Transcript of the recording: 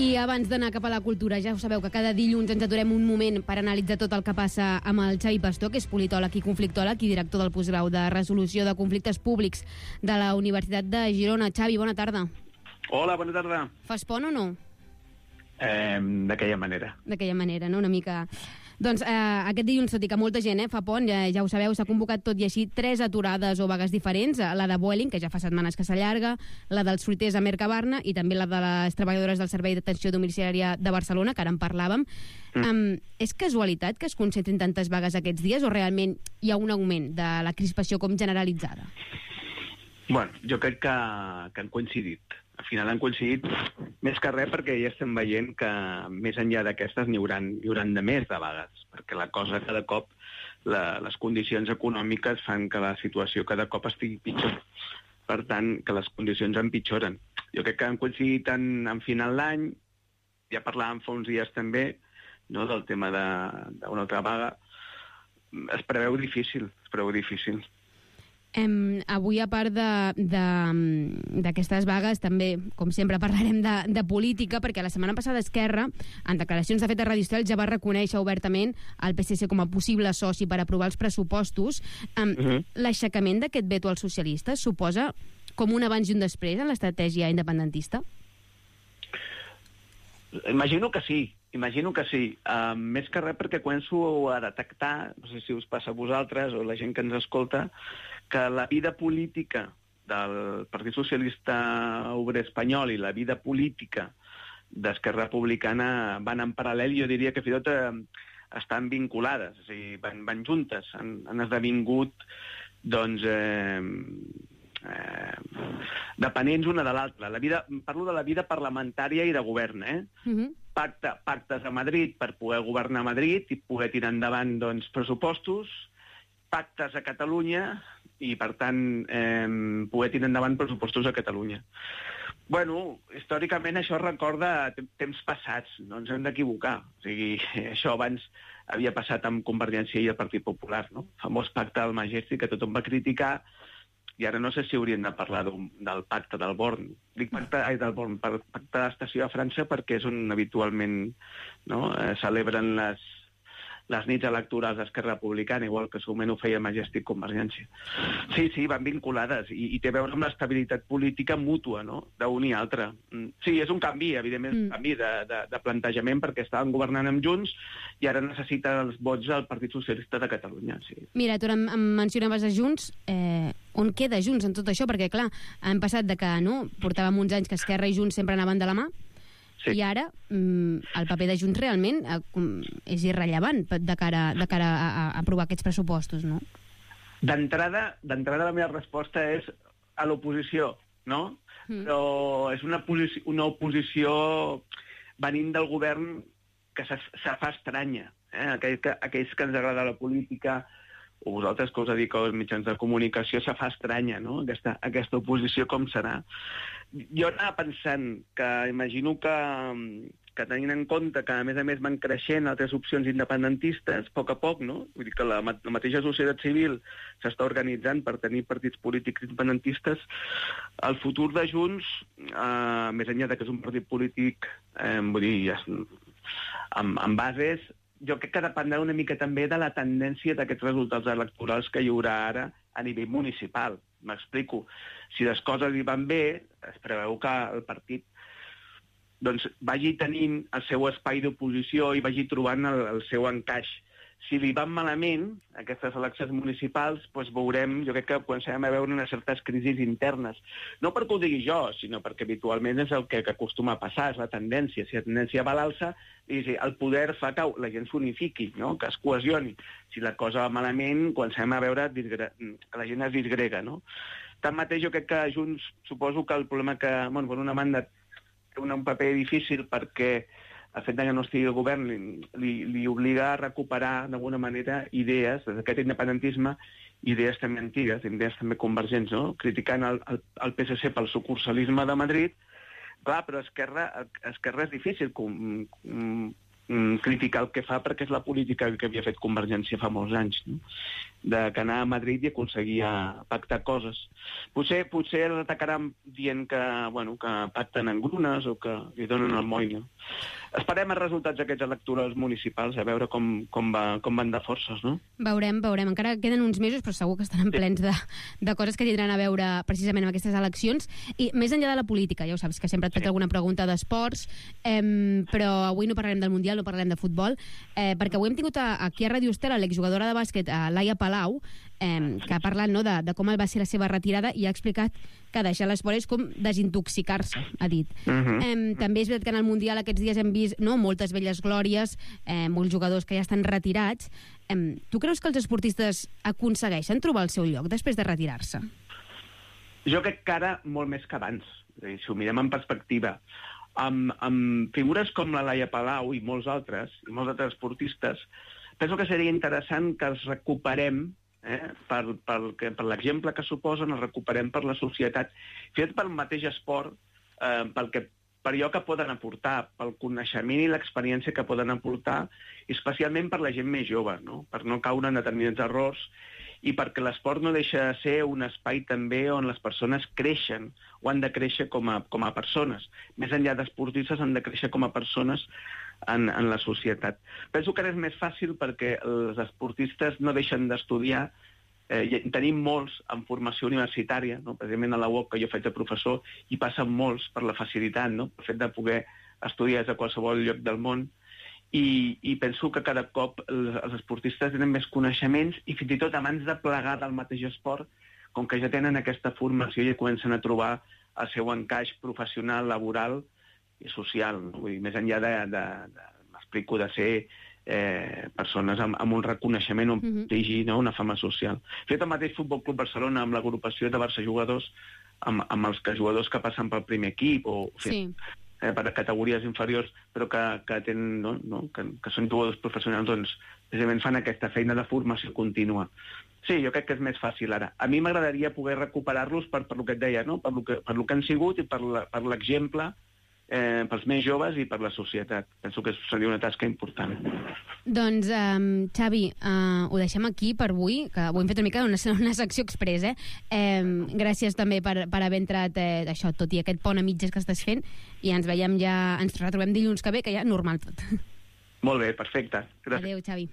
I abans d'anar cap a la cultura, ja ho sabeu que cada dilluns ens aturem un moment per analitzar tot el que passa amb el Xavi Pastor, que és politòleg i conflictòleg i director del postgrau de resolució de conflictes públics de la Universitat de Girona. Xavi, bona tarda. Hola, bona tarda. Fas pont o no? D'aquella manera. D'aquella manera, no? Una mica... Doncs aquest dilluns, tot i que molta gent fa pont, ja ho sabeu, s'ha convocat tot i així 3 aturades o vagues diferents, la de Vueling, que ja fa setmanes que s'allarga, la dels fruiters a Mercabarna i també la de les treballadores del Servei d'Atenció Domiciliària de Barcelona, que ara en parlàvem. És casualitat que es concentrin tantes vagues aquests dies o realment hi ha un augment de la crispació com generalitzada? Bueno, jo crec que han coincidit. Al final han coincidit més que res perquè ja estem veient que més enllà d'aquestes n'hi hauran de més de vagues, perquè la cosa cada cop, les condicions econòmiques fan que la situació cada cop estigui pitjor. Per tant, que les condicions empitjoren. Jo crec que han coincidit en final d'any, ja parlàvem fa uns dies també, no, del tema d'una altra vaga. Es preveu difícil. Avui, a part d'aquestes vagues, també, com sempre, parlarem de política, perquè la setmana passada Esquerra, en declaracions de fet a Radio Estel, ja va reconèixer obertament el PSC com a possible soci per aprovar els pressupostos. L'aixecament d'aquest veto als socialistes suposa com un abans i un després en l'estratègia independentista? Imagino que sí. Més que res perquè començo a detectar, no sé si us passa a vosaltres o a la gent que ens escolta, que la vida política del Partit Socialista Obrer Espanyol i la vida política d'Esquerra Republicana van en paral·lel, jo diria que fins i tot estan vinculades, o sigui, van juntes, han esdevingut, doncs, dependents una de l'altra. Parlo de la vida parlamentària i de govern, pactes a Madrid per poder governar a Madrid i poder tirar endavant, doncs, pressupostos, pactes a Catalunya i, per tant, poder tirar endavant pressupostos a Catalunya. Bueno, històricament això recorda temps passats, no ens hem d'equivocar. O sigui, això abans havia passat amb Convergència i el Partit Popular, no? El famós pacte del Majestic que tothom va criticar, i ara no sé si hauríem de parlar del pacte del Born. Dic pacte de l'estació a França perquè és on habitualment celebren les nits electorals d'Esquerra Republicana, igual que segurament ho feia Majestic Convergència. Sí, van vinculades, i té a veure amb l'estabilitat política mútua, no?, d'un i altre. Sí, és un canvi, evidentment, un canvi de plantejament, perquè estaven governant amb Junts i ara necessita els vots del Partit Socialista de Catalunya. Sí. Mira, tu em mencionaves a Junts. On queda Junts en tot això? Perquè, clar, han passat de que portàvem uns anys que Esquerra i Junts sempre anaven de la mà, sí. I ara el paper de Junts realment és irrellevant de cara a aprovar aquests pressupostos, no? D'entrada, la meva resposta és a l'oposició, no? Però és una oposició venint del govern que se fa estranya. Aquells que ens agrada la política, o vosaltres que us dediqueu als mitjans de comunicació, se fa estranya, no?, aquesta oposició com serà. Jo anava pensant que imagino que tenint en compte que a més van creixent altres opcions independentistes, a poc, no? Vull dir que la mateixa societat civil s'està organitzant per tenir partits polítics independentistes. El futur de Junts, més enllà que és un partit polític, vull dir, amb bases, jo crec que dependrà una mica també de la tendència d'aquests resultats electorals que hi haurà ara a nivell municipal. M'explico. Si les coses hi van bé, es preveu que el partit vagi tenint el seu espai d'oposició i vagi trobant el seu encaix. Si li van malament, aquestes eleccions municipals, doncs veurem, jo crec que començarem a veure unes certes crisis internes. No perquè ho digui jo, sinó perquè habitualment és el que acostuma a passar, és la tendència. Si la tendència va a l'alça, el poder fa que la gent s'unifiqui, no?, que es cohesioni. Si la cosa va malament, comencem a veure que la gent es disgrega, no? Tanmateix, jo crec que Junts, suposo que el problema que, bueno, per una banda, té un paper difícil perquè el fet que no estigui el govern li obliga a recuperar d'alguna manera idees, d'aquest independentisme, idees també antigues, idees també convergents, no?, criticant el PSC pel sucursalisme de Madrid. Clar, però Esquerra és difícil criticar el que fa perquè és la política que havia fet Convergència fa molts anys, no? d'anar a Madrid i aconseguir pactar coses. Potser els atacaran dient que pacten engrunes o que li donen el moll. Esperem els resultats d'aquests electorals municipals, a veure com van de forces, no? Veurem. Encara queden uns mesos, però segur que estaran plens de coses que tindran a veure precisament amb aquestes eleccions. I més enllà de la política, ja ho saps, que sempre et faig alguna pregunta d'esports, però avui no parlarem del Mundial, no parlarem de futbol, perquè avui hem tingut aquí a Ràdio Estel l'exjugadora de bàsquet, Laia Palau, que ha parlat de com va ser la seva retirada i ha explicat que deixar l'esport és com desintoxicar-se, ha dit. També és veritat que en el Mundial aquests dies hem vist moltes velles glòries, molts jugadors que ja estan retirats. Tu creus que els esportistes aconsegueixen trobar el seu lloc després de retirar-se? Jo crec que ara molt més que abans. Si ho mirem en perspectiva, amb figures com la Laia Palau i molts altres esportistes, penso que seria interessant que els recuperem per l'exemple que suposen, els recuperem per la societat, fet pel mateix esport, per allò que poden aportar, pel coneixement i l'experiència que poden aportar, i especialment per la gent més jove, no? Per no caure en determinats errors, i perquè l'esport no deixa de ser un espai també on les persones creixen, o han de créixer com a persones. Més enllà d'esportistes, han de créixer com a persones en la societat. Penso que ara és més fàcil perquè els esportistes no deixen d'estudiar. Tenim molts en formació universitària, no? Precisament a la UOC, que jo faig de professor, i passen molts per la facilitat, no? El fet de poder estudiar des de qualsevol lloc del món. I penso que cada cop els esportistes tenen més coneixements i fins i tot abans de plegar del mateix esport, com que ja tenen aquesta formació i ja comencen a trobar el seu encaix professional, laboral i social. No? Vull dir, més enllà m'explico, de ser persones amb un reconeixement, un prestigi, no? Una fama social. Fet el mateix Futbol Club Barcelona amb l'agrupació de Barça Jugadors, amb els jugadors que passen pel primer equip o per categories inferiors, però que tenen, que són jugadors professionals, doncs precisament fan aquesta feina de formació contínua. Sí, jo crec que és més fàcil ara. A mi m'agradaria poder recuperar-los per el que et deia, no? Per lo que han sigut i per l'exemple pels més joves i per la societat. Penso que seria una tasca important. Doncs, Xavi, ho deixem aquí per avui, que ho hem fet una mica una secció express, gràcies també per haver entrat això, tot i aquest pont a mitges que estàs fent, i ens retrobem dilluns que ve, que ja normal tot. Molt bé, perfecte. Gràcies. Adéu, Xavi.